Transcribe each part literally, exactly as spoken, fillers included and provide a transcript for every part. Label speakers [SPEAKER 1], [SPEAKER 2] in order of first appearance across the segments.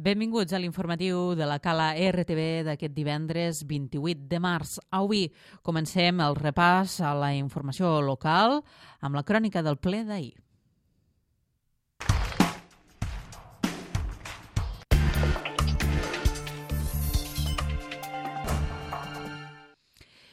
[SPEAKER 1] Benvinguts a l'informatiu de la Cala R T V d'aquest divendres vint-i-vuit de març. Avui comencem el repàs a la informació local amb la crònica del ple d'ahir.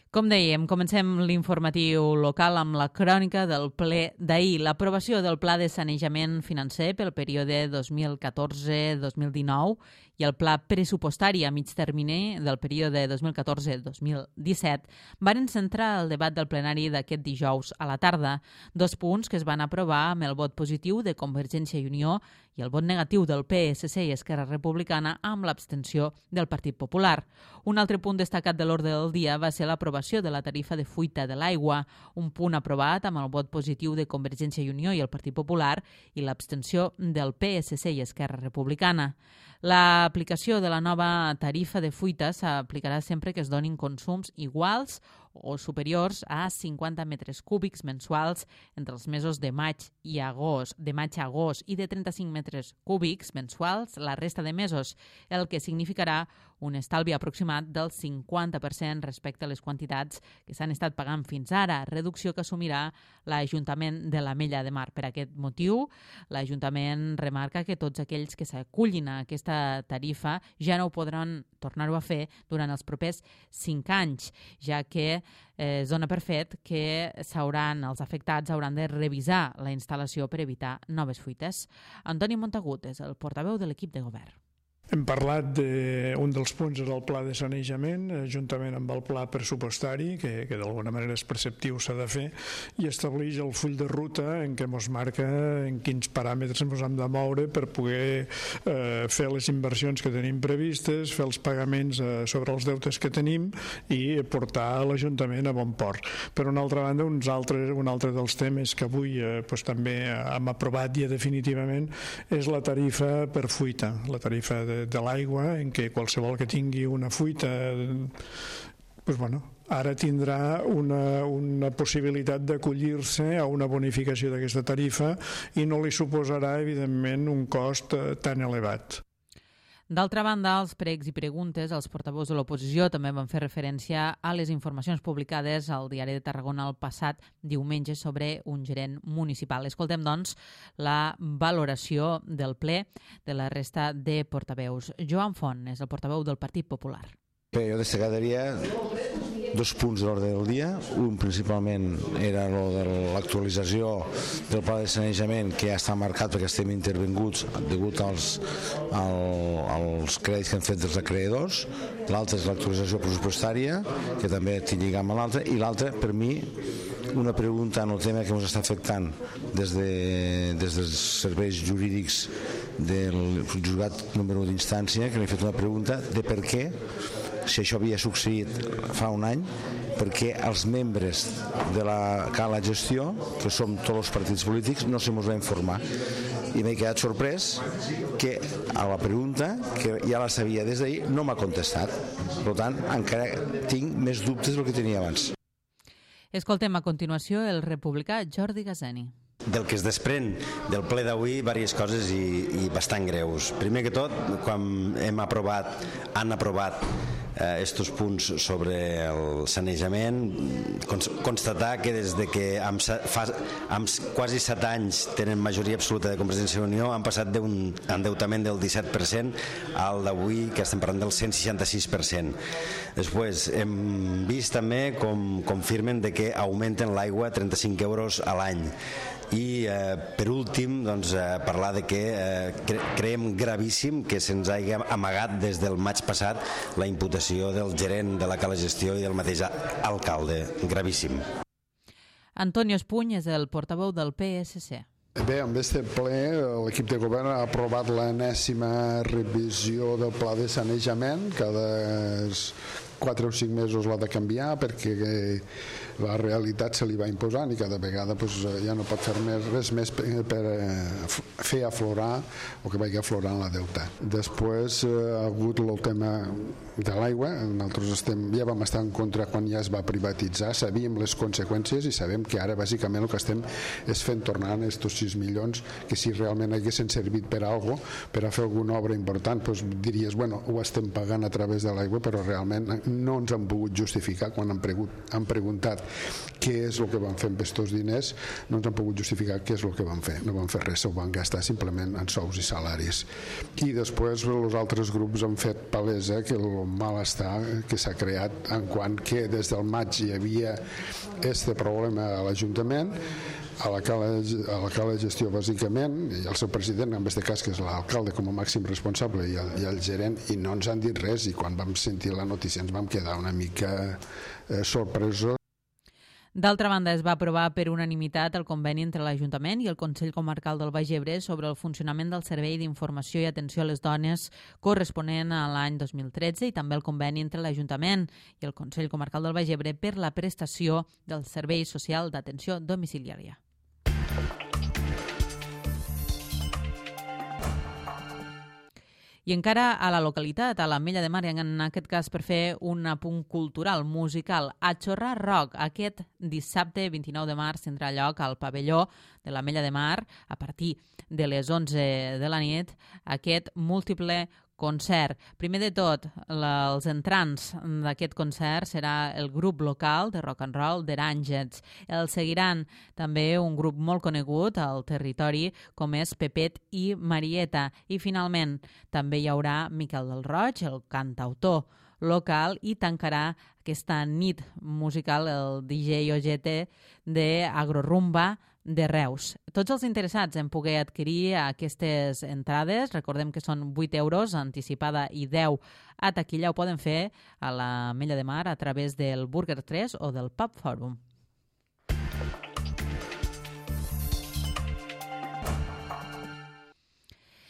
[SPEAKER 1] Com dèiem, comencem l'informatiu local amb la crònica del ple d'ahir. L'aprovació del Pla de Sanejament Financer pel període dos mil catorze dos mil dinou i el Pla Pressupostari a mig termini del període dos mil catorze dos mil disset van centrar el debat del plenari d'aquest dijous a la tarda, dos punts que es van aprovar amb el vot positiu de Convergència i Unió i el vot negatiu del P S C i Esquerra Republicana amb l'abstenció del Partit Popular. Un altre punt destacat de l'ordre del dia va ser l'aprovació de la tarifa de fuita de l'aigua, un punt aprovat amb el vot positiu de Convergència i Unió i el Partit Popular i l'abstenció del P S C i Esquerra Republicana. L'aplicació de la nova tarifa de fuita s'aplicarà sempre que es donin consums iguals o superiors a cinquanta metres cúbics mensuals entre els mesos de maig i agost, de maig a agost i de trenta-cinc metres cúbics mensuals la resta de mesos, el que significarà un estalvi aproximat del cinquanta per cent respecte a les quantitats que s'han estat pagant fins ara, reducció que assumirà l'Ajuntament de l'Ametlla de Mar. Per aquest motiu, l'Ajuntament remarca que tots aquells que s'acullin a aquesta tarifa ja no ho podran tornar-ho a fer durant els propers cinc anys, ja que eh, es dona per fet que s'hauran, els afectats hauran de revisar la instal·lació per evitar noves fuites. Antoni Montagut és el portaveu de l'equip de govern.
[SPEAKER 2] Hem parlat d'un dels punts del pla de sanejament, juntament amb el pla pressupostari, que, que d'alguna manera és preceptiu, s'ha de fer, i estableix el full de ruta en què ens marca en quins paràmetres ens hem de moure per poder eh, fer les inversions que tenim previstes, fer els pagaments eh, sobre els deutes que tenim i portar l'Ajuntament a bon port. Per una altra banda, uns altres, un altre dels temes que avui eh, doncs, també hem aprovat ja definitivament és la tarifa per fuita, la tarifa de de l'aigua, en què qualsevol que tingui una fuita doncs, bueno, ara tindrà una, una possibilitat d'acollir-se a una bonificació d'aquesta tarifa i no li suposarà, evidentment, un cost tan elevat.
[SPEAKER 1] D'altra banda, als pregs i preguntes, els portaveus de l'oposició també van fer referència a les informacions publicades al Diari de Tarragona el passat diumenge sobre un gerent municipal. Escoltem, doncs, la valoració del ple de la resta de portaveus. Joan Font és el portaveu del Partit Popular.
[SPEAKER 3] Bé, jo destacaria dos punts de l'ordre del dia. Un principalment era lo de l'actualització del pla de sanejament, que ja està marcat perquè estem intervenguts degut als, al, als crèdits que han fet dels acreedors. L'altre és l'actualització pressupostària, que també té lligam amb l'altre, i l'altre, per mi, una pregunta en el tema que ens està afectant des, de, des dels serveis jurídics del jutjat número d'instància, que li he fet una pregunta de per què, si això havia succeït fa un any, perquè els membres de la Cala Gestió, que som tots els partits polítics, no se mos va informar. I m'he quedat sorprès que a la pregunta, que ja la sabia des d'ahir, no m'ha contestat. Per tant, encara tinc més dubtes del que tenia abans.
[SPEAKER 1] Escoltem a continuació el republicà Jordi Gazeni.
[SPEAKER 4] Del que es desprèn del ple d'avui, diverses coses i, i bastant greus. Primer que tot, quan hem aprovat, han aprovat eh, estos punts sobre el sanejament, constatar que des de que amb, fa, amb quasi set anys tenen majoria absoluta de Convergència i Unió han passat d'un endeutament del disset per cent al d'avui, que estem parlant del cent seixanta-sis per cent. Després hem vist també com confirmen de que augmenten l'aigua trenta-cinc euros a l'any. I eh, per últim doncs, eh, parlar de que eh, cre creiem gravíssim que se'ns hagi amagat des del maig passat la imputació del gerent de la Cala Gestió i del mateix alcalde. Gravíssim.
[SPEAKER 1] Antonio Espuny és el portaveu del P S C.
[SPEAKER 5] Bé, amb aquest ple l'equip de govern ha aprovat l'enèsima revisió del pla de sanejament. Cada quatre o cinc mesos l'ha de canviar perquè la realitat se li va imposant i cada vegada pues, ja no pot fer més, res més per, per fer aflorar o que vagi aflorant la deuta. Després eh, ha hagut el tema de l'aigua, nosaltres estem, ja vam estar en contra quan ja es va privatitzar, sabíem les conseqüències i sabem que ara bàsicament el que estem és fent tornar aquests sis milions que si realment haguessin servit per a alguna cosa, per a fer alguna obra important, doncs diries, bueno, ho estem pagant a través de l'aigua, però realment no ens han pogut justificar quan han, pregut, han preguntat què és el que van fer amb aquests diners, no ens han pogut justificar què és el que van fer, no van fer res, ho van gastar simplement en sous i salaris. I després els altres grups han fet palesa que el malestar que s'ha creat en quant que des del maig hi havia este problema a l'Ajuntament, a la cala de gestió bàsicament, i el seu president, en aquest cas que és l'alcalde com a màxim responsable i el, i el gerent, i no ens han dit res, i quan vam sentir la notícia ens vam quedar una mica eh, sorpresos.
[SPEAKER 1] D'altra banda, es va aprovar per unanimitat el conveni entre l'Ajuntament i el Consell Comarcal del Baix Ebre sobre el funcionament del Servei d'Informació i Atenció a les Dones corresponent a l'any dos mil tretze i també el conveni entre l'Ajuntament i el Consell Comarcal del Baix Ebre per la prestació del Servei Social d'Atenció Domiciliària. I encara a la localitat, a l'Ametlla de Mar, en aquest cas per fer un apunt cultural, musical, a Xorrar Rock. Aquest dissabte vint-i-nou de març tindrà lloc al pavelló de l'Ametlla de Mar a partir de les onze de la nit aquest múltiple concert. Primer de tot, la, els entrants d'aquest concert serà el grup local de rock and roll The Rangers. El seguiran també un grup molt conegut al territori com és Pepet i Marieta. I finalment també hi haurà Miquel del Roig, el cantautor local, i tancarà aquesta nit musical el D J Ojete de Agrorumba de Reus. Tots els interessats en poder adquirir aquestes entrades, recordem que són vuit euros anticipada i deu a taquilla, ho poden fer a l'Ametlla de Mar a través del Burger tres o del Pub Forum.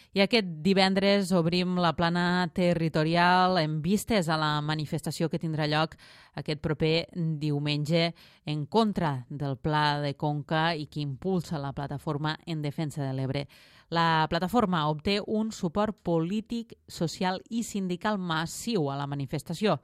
[SPEAKER 1] I aquest divendres obrim la plana territorial en vistes a la manifestació que tindrà lloc aquest proper diumenge en contra del Pla de Conca i que impulsa la plataforma en defensa de l'Ebre. La plataforma obté un suport polític, social i sindical massiu a la manifestació.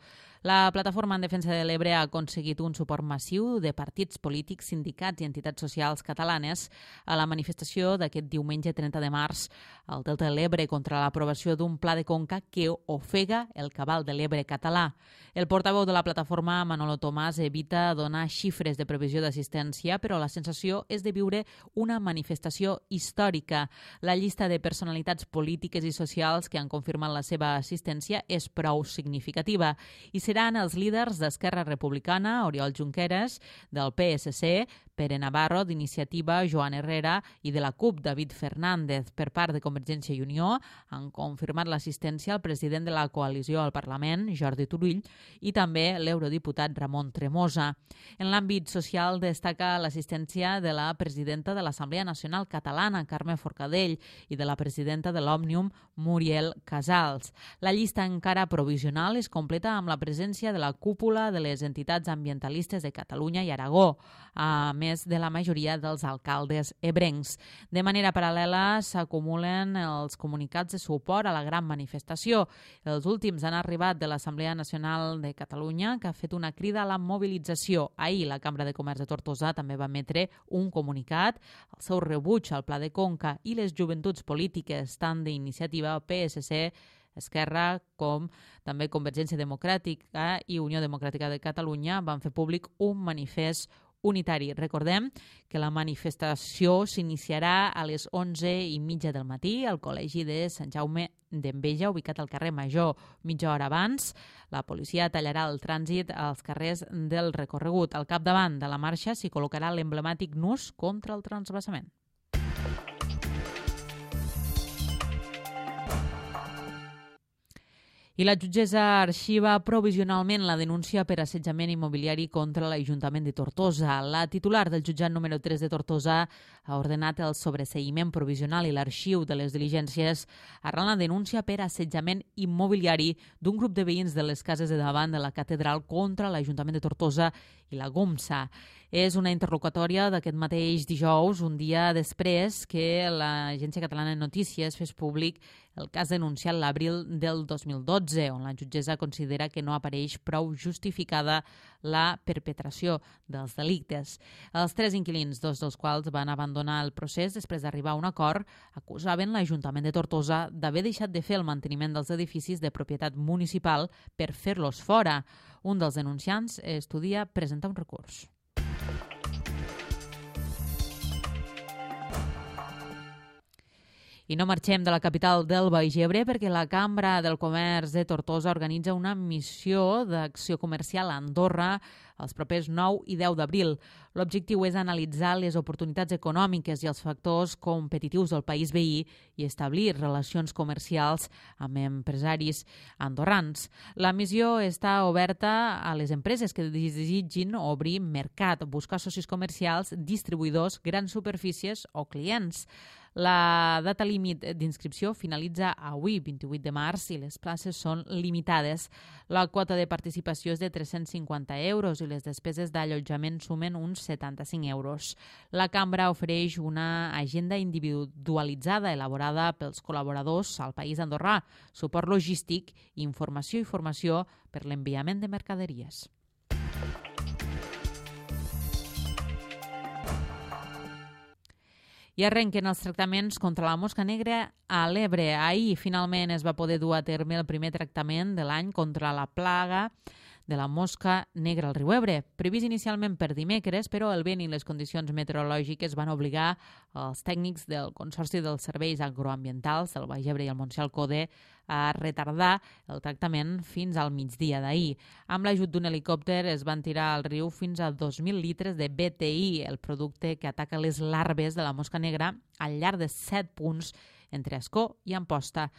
[SPEAKER 1] La plataforma en defensa de l'Ebre ha aconseguit un suport massiu de partits polítics, sindicats i entitats socials catalanes a la manifestació d'aquest diumenge trenta de març al Delta de l'Ebre contra l'aprovació d'un pla de conca que ofega el cabal de l'Ebre català. El portaveu de la plataforma, Manolo Tomàs, evita donar xifres de previsió d'assistència, però la sensació és de viure una manifestació històrica. La llista de personalitats polítiques i socials que han confirmat la seva assistència és prou significativa i seran els líders d'Esquerra Republicana, Oriol Junqueras, del P S C, Pere Navarro, d'Iniciativa, Joan Herrera, i de la CUP, David Fernández. Per part de Convergència i Unió han confirmat l'assistència al president de la coalició al Parlament, Jordi Turull, i també l'eurodiputat Ramon Tremosa. En l'àmbit social destaca l'assistència de la presidenta de l'Assemblea Nacional Catalana, Carme Forcadell, i de la presidenta de l'Òmnium, Muriel Casals. La llista encara provisional es completa amb la presència de la cúpula de les entitats ambientalistes de Catalunya i Aragó, a més de la majoria dels alcaldes ebrencs. De manera paral·lela s'acumulen els comunicats de suport a la gran manifestació. Els últims han arribat de l'Assemblea Nacional de Catalunya, que ha fet una crida a la mobilització. Ahir la Cambra de Comerç de Tortosa també va emetre un comunicat. El seu rebuig al Pla de Conca i les joventuts polítiques, tant d'Iniciativa, P S C, Esquerra, com també Convergència Democràtica i Unió Democràtica de Catalunya, van fer públic un manifest unitari. Recordem que la manifestació s'iniciarà a les onze i mitja del matí al Col·legi de Sant Jaume d'Enveja, ubicat al carrer Major. Mitja hora abans, la policia tallarà el trànsit als carrers del recorregut. Al capdavant de la marxa s'hi col·locarà l'emblemàtic nus contra el transvasament. I la jutgessa arxiva provisionalment la denúncia per assetjament immobiliari contra l'Ajuntament de Tortosa. La titular del jutjat número tres de Tortosa ha ordenat el sobreseïment provisional i l'arxiu de les diligències arran la denúncia per assetjament immobiliari d'un grup de veïns de les cases de davant de la catedral contra l'Ajuntament de Tortosa i la GOMSA. És una interlocutòria d'aquest mateix dijous, un dia després que l'Agència Catalana de Notícies fes públic el cas denunciat l'abril del dos mil dotze, on la jutgessa considera que no apareix prou justificada la perpetració dels delictes. Els tres inquilins, dos dels quals van abandonar el procés després d'arribar a un acord, acusaven l'Ajuntament de Tortosa d'haver deixat de fer el manteniment dels edificis de propietat municipal per fer-los fora. Un dels denunciants estudia presentar un recurs. I no marxem de la capital del Baix Ebre perquè la Cambra del Comerç de Tortosa organitza una missió d'acció comercial a Andorra els propers nou i deu d'abril. L'objectiu és analitzar les oportunitats econòmiques i els factors competitius del país veí i establir relacions comercials amb empresaris andorrans. La missió està oberta a les empreses que desitgin obrir mercat, buscar socis comercials, distribuïdors, grans superfícies o clients. La data límit d'inscripció finalitza avui, vint-i-vuit de març, i les places són limitades. La quota de participació és de tres-cents cinquanta euros i les despeses d'allotjament sumen uns setanta-cinc euros. La Cambra ofereix una agenda individualitzada elaborada pels col·laboradors al país andorrà, suport logístic, informació i formació per l'enviament de mercaderies. I arrenquen els tractaments contra la mosca negra a l'Ebre. Ahir finalment es va poder dur a terme el primer tractament de l'any contra la plaga de la mosca negra al riu Ebre, previst inicialment per dimecres, però el vent i les condicions meteorològiques van obligar els tècnics del Consorci dels Serveis Agroambientals del Baix Ebre i el Montsià Alcode a retardar el tractament fins al migdia d'ahir. Amb l'ajut d'un helicòpter es van tirar al riu fins a dos mil litres de B T I, el producte que ataca les larves de la mosca negra al llarg de set punts entre Ascó i Amposta.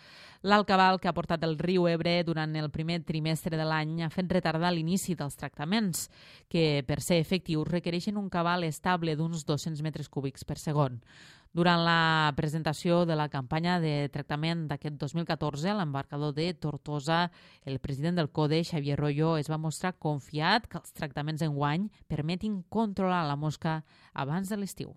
[SPEAKER 1] L'alt cabal que ha portat el riu Ebre durant el primer trimestre de l'any ha fet retardar l'inici dels tractaments, que per ser efectius requereixen un cabal estable d'uns dos-cents metres cúbics per segon. Durant la presentació de la campanya de tractament d'aquest dos mil catorze, l'embarcador de Tortosa, el president del CODE, Xavier Royo, es va mostrar confiat que els tractaments enguany permetin controlar la mosca abans de l'estiu.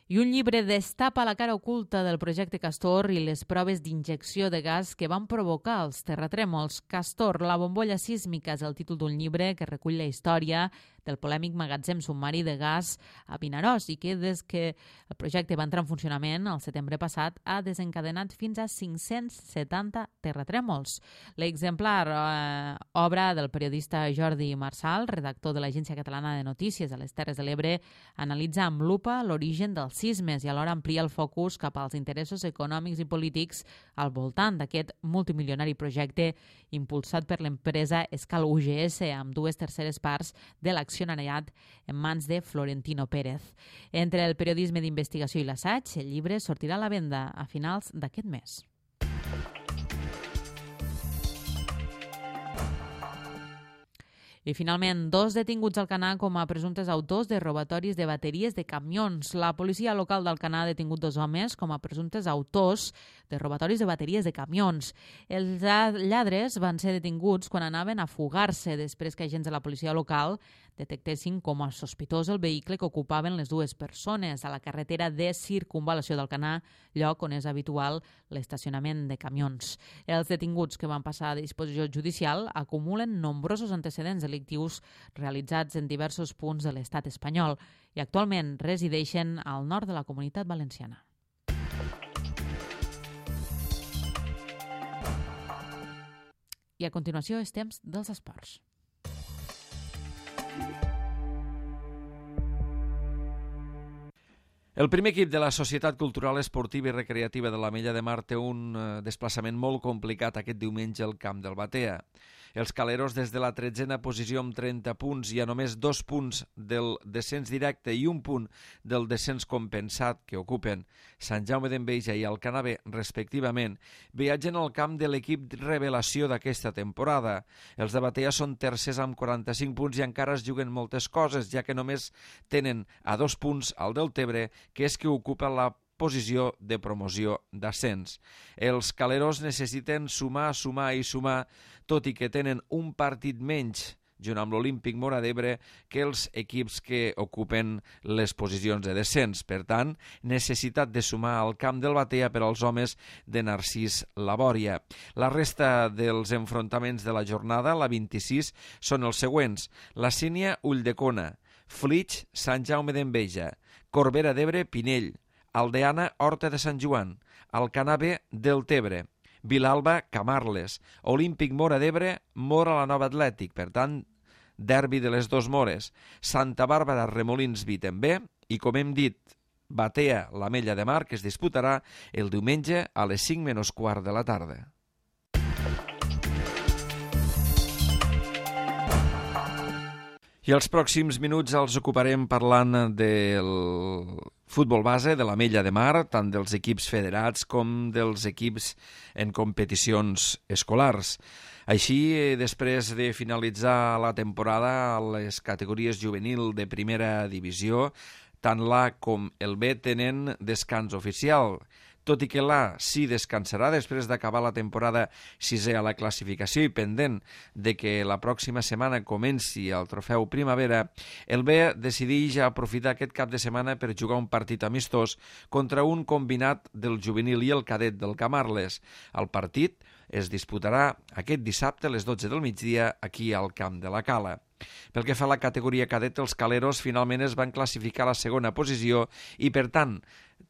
[SPEAKER 1] I un llibre destapa la cara oculta del projecte Castor i les proves d'injecció de gas que van provocar els terratrèmols. Castor, la bombolla sísmica, és el títol d'un llibre que recull la història del polèmic magatzem submarí de gas a Vinaròs i que des que el projecte va entrar en funcionament el setembre passat ha desencadenat fins a cinc-cents setanta terratrèmols. L'exemplar, eh, obra del periodista Jordi Marsal, redactor de l'Agència Catalana de Notícies a les Terres de l'Ebre, analitza amb lupa l'origen dels sismes i alhora amplia el focus cap als interessos econòmics i polítics al voltant d'aquest multimilionari projecte impulsat per l'empresa Escal U G S amb dues terceres parts de l'accionariat en mans de Florentino Pérez. Entre el periodisme d'investigació i l'assaig, el llibre sortirà a la venda a finals d'aquest mes. I finalment, dos detinguts a Alcanar com a presumptes autors de robatoris de bateries de camions. La policia local d'Alcanar ha detingut dos homes com a presumptes autors de robatoris de bateries de camions. Els lladres van ser detinguts quan anaven a fugar-se després que agents de la policia local detectessin com a sospitós el vehicle que ocupaven les dues persones a la carretera de circunvalació d'Alcanar, lloc on és habitual l'estacionament de camions. Els detinguts que van passar a disposició judicial acumulen nombrosos antecedents delictius realitzats en diversos punts de l'estat espanyol i actualment resideixen al nord de la Comunitat Valenciana. I a continuació és temps dels esports.
[SPEAKER 6] El primer equip de la Societat Cultural Esportiva i Recreativa de l'Ametlla de Mar té un desplaçament molt complicat aquest diumenge al camp del Batea. Els Caleros des de la tretzena posició amb trenta punts i a només dos punts del descens directe i un punt del descens compensat que ocupen Sant Jaume d'Enveja i Alcanar B, respectivament, viatgen al camp de l'equip revelació d'aquesta temporada. Els de Batea són tercers amb quaranta-cinc punts i encara es juguen moltes coses, ja que només tenen a dos punts al Deltebre, que és que ocupa la posició de promoció d'ascens. Els Caleros necessiten sumar, sumar i sumar, tot i que tenen un partit menys junt amb l'Olímpic Móra d'Ebre, que els equips que ocupen les posicions de descens. Per tant, necessitat de sumar al camp del Batea per als homes de Narcís Labòria. La resta dels enfrontaments de la jornada, la vint-i-sis, són els següents. La Sínia, Ulldecona, Flix, Sant Jaume d'Enveja, Corbera d'Ebre, Pinell, Aldeana, Horta de Sant Joan, Alcanar B, Deltebre, Vilalba, Camarles, Olímpic Móra d'Ebre, Móra la Nova Atlètic, per tant, derbi de les dos Mores, Santa Bàrbara, Remolins, Vitember, i com hem dit, Batea, l'Ametlla de Mar, que es disputarà el diumenge a les cinc menys quart de la tarda. I els pròxims minuts els ocuparem parlant del futbol base, de l'Ametlla de Mar, tant dels equips federats com dels equips en competicions escolars. Així, després de finalitzar la temporada a les categories juvenil de primera divisió, tant l'A com el B tenen descans oficial, tot i que l'A sí descansarà després d'acabar la temporada sisè a la classificació i pendent de que la pròxima setmana comenci el trofeu Primavera, el B decideix aprofitar aquest cap de setmana per jugar un partit amistós contra un combinat del juvenil i el cadet del Camarles. El partit es disputarà aquest dissabte a les dotze del migdia aquí al Camp de la Cala. Pel que fa a la categoria cadet, els Caleros finalment es van classificar a la segona posició i, per tant,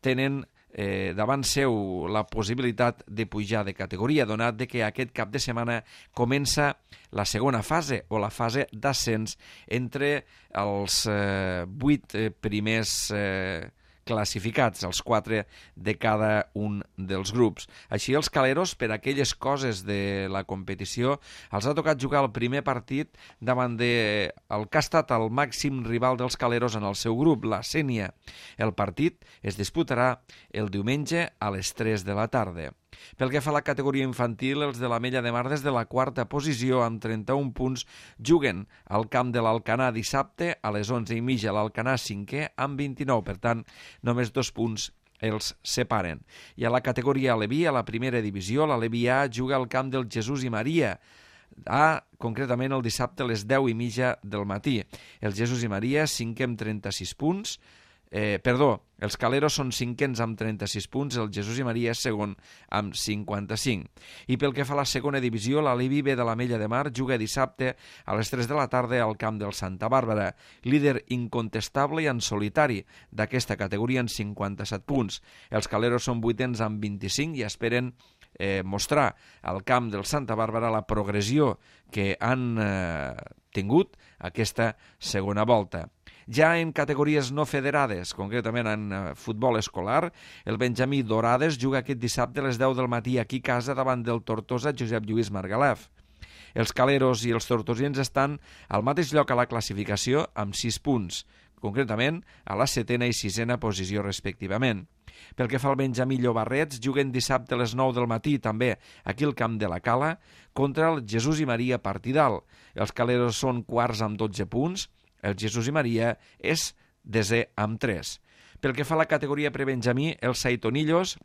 [SPEAKER 6] tenen eh, davant seu la possibilitat de pujar de categoria, donat de que aquest cap de setmana comença la segona fase o la fase d'ascens entre els eh, vuit eh, primers eh, classificats, els quatre de cada un dels grups. Així, els Caleros, per aquelles coses de la competició, els ha tocat jugar el primer partit davant de el que ha estat el màxim rival dels Caleros en el seu grup, la Sénia. El partit es disputarà el diumenge a les tres de la tarda. Pel que fa a la categoria infantil, els de l'Ametlla de Mar des de la quarta posició amb trenta-un punts juguen al camp de l'Alcanar dissabte a les onze i mitja, l'Alcanar cinquè amb vint-i-nou, per tant només dos punts els separen. I a la categoria Aleví, a la primera divisió, l'Aleví A juga al camp del Jesús i Maria, A, concretament el dissabte a les deu i mitja del matí. El Jesús i Maria cinquè amb trenta-sis punts, Eh, perdó, els Caleros són cinquens amb trenta-sis punts, el Jesús i Maria és segon amb cinquanta-cinc. I pel que fa a la segona divisió, l'Aleví B de l'Ametlla de Mar juga dissabte a les tres de la tarda al camp del Santa Bàrbara, líder incontestable i en solitari d'aquesta categoria en cinquanta-set punts. Els Caleros són vuitens amb vint-i-cinc i esperen eh, mostrar al camp del Santa Bàrbara la progressió que han eh, tingut aquesta segona volta. Ja en categories no federades, concretament en uh, futbol escolar, el Benjamí Dorades juga aquest dissabte a les deu del matí aquí a casa davant del Tortosa Josep Lluís Margalef. Els Caleros i els tortosiens estan al mateix lloc a la classificació amb sis punts, concretament a la setena i sisena posició respectivament. Pel que fa al Benjamí Llobarrets, juguen dissabte a les nou del matí, també aquí al Camp de la Cala, contra el Jesús i Maria Partidal. Els Caleros són quarts amb dotze punts, el Jesús i Maria és desè amb tres. Pel que fa a la categoria prebenjamí, els Saitonillos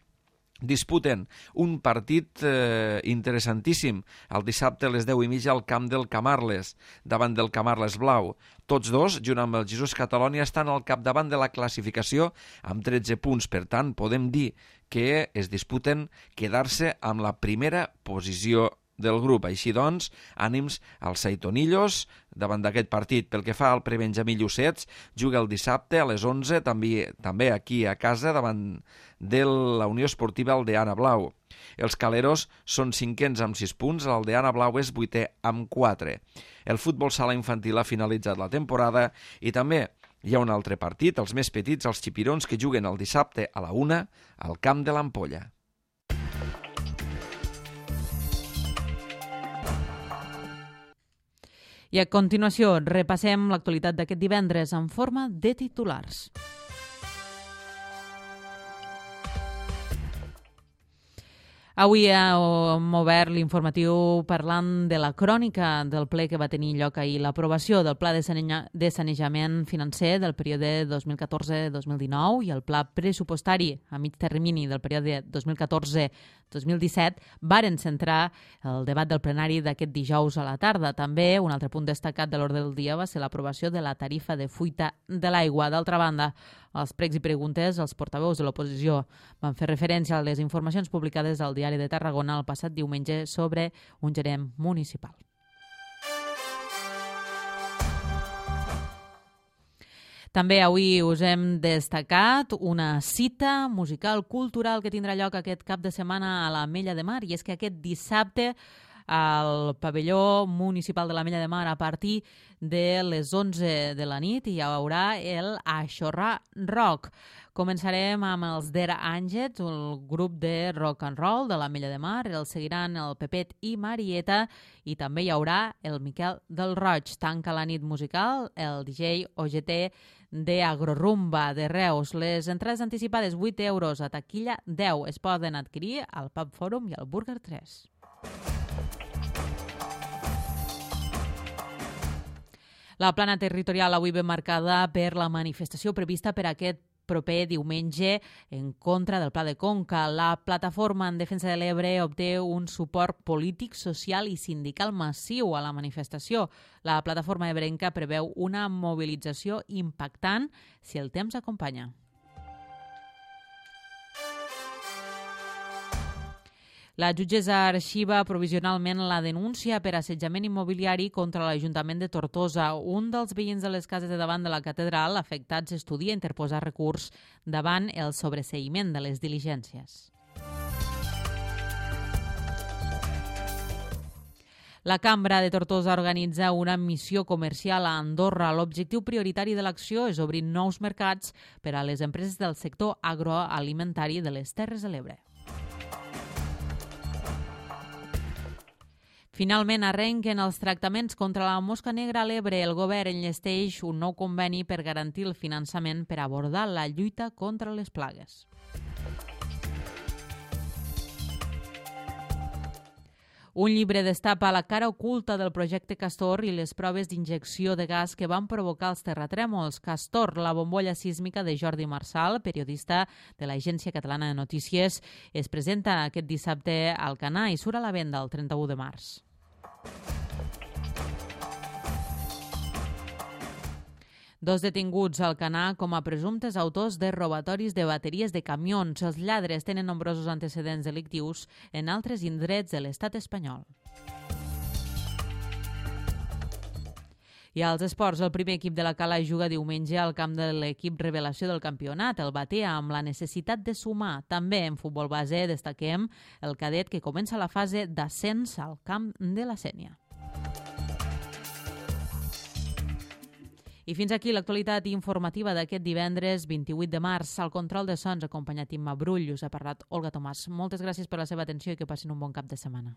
[SPEAKER 6] disputen un partit eh, interessantíssim el dissabte a les deu i mitja al camp del Camarles, davant del Camarles Blau. Tots dos, junt amb el Jesús Catalònia, estan al capdavant de la classificació amb tretze punts. Per tant, podem dir que es disputen quedar-se amb la primera posició del grup. Així doncs, ànims als Saitonillos davant d'aquest partit. Pel que fa al prebenjamí Llucets, juga el dissabte a les onze, també, també aquí a casa, davant de la Unió Esportiva Aldeana Blau. Els Caleros són cinquens amb sis punts, l'Aldeana Blau és vuitè amb quatre. El futbol sala infantil ha finalitzat la temporada i també hi ha un altre partit, els més petits, els xipirons, que juguen el dissabte a la una al Camp de l'Ampolla.
[SPEAKER 1] I a continuació repassem l'actualitat d'aquest divendres en forma de titulars. Avui hem obert l'informatiu parlant de la crònica del ple que va tenir lloc ahir, l'aprovació del Pla de sanejament financer del període dos mil catorze dos mil dinou i el Pla pressupostari a mig termini del període dos mil catorze dos mil disset varen centrar el debat del plenari d'aquest dijous a la tarda. També un altre punt destacat de l'ordre del dia va ser l'aprovació de la tarifa de fuita de l'aigua. D'altra banda, als pregs i preguntes, els portaveus de l'oposició van fer referència a les informacions publicades al Diari de Tarragona el passat diumenge sobre un gerent municipal. També avui us hem destacat una cita musical cultural que tindrà lloc aquest cap de setmana a l'Ametlla de Mar, i és que aquest dissabte al pavelló municipal de l'Ametlla de Mar a partir de les onze de la nit hi haurà el Aixorrar Rock. Començarem amb els Der Àngels, el grup de rock and roll de l'Ametlla de Mar, el seguiran el Pepet i Marieta i també hi haurà el Miquel del Roig. Tanca la nit musical el D J O G T de Agrorumba de Reus. Les entrades anticipades vuit euros, a taquilla deu, es poden adquirir al Pub Fòrum i al Burger tres. La plana territorial avui ben marcada per la manifestació prevista per aquest proper diumenge en contra del Pla de Conca. La plataforma en defensa de l'Ebre obté un suport polític, social i sindical massiu a la manifestació. La plataforma ebrenca preveu una mobilització impactant si el temps acompanya. La jutgessa arxiva provisionalment la denúncia per assetjament immobiliari contra l'Ajuntament de Tortosa. Un dels veïns de les cases de davant de la catedral afectats estudia interposar recurs davant el sobreseïment de les diligències. La Cambra de Tortosa organitza una missió comercial a Andorra. L'objectiu prioritari de l'acció és obrir nous mercats per a les empreses del sector agroalimentari de les Terres de l'Ebre. Finalment arrenquen els tractaments contra la mosca negra a l'Ebre. El govern enllesteix un nou conveni per garantir el finançament per abordar la lluita contra les plagues. Un llibre destapa la cara oculta del projecte Castor i les proves d'injecció de gas que van provocar els terratrèmols. Castor, la bombolla sísmica de Jordi Marsal, periodista de l'Agència Catalana de Notícies, es presenta aquest dissabte al Canà i surt a la venda el trenta-u de març. Dos detinguts al Canà com a presumptes autors de robatoris de bateries de camions. Els lladres tenen nombrosos antecedents delictius en altres indrets de l'estat espanyol. I als esports, el primer equip de la Cala juga diumenge al camp de l'equip revelació del campionat, el Batea, amb la necessitat de sumar. També en futbol base destaquem el cadet que comença la fase d'ascens al camp de la Sénia. I fins aquí l'actualitat informativa d'aquest divendres vint-i-vuit de març. Al control de sons, acompanyat Imma Brull, us ha parlat Olga Tomàs. Moltes gràcies per la seva atenció i que passin un bon cap de setmana.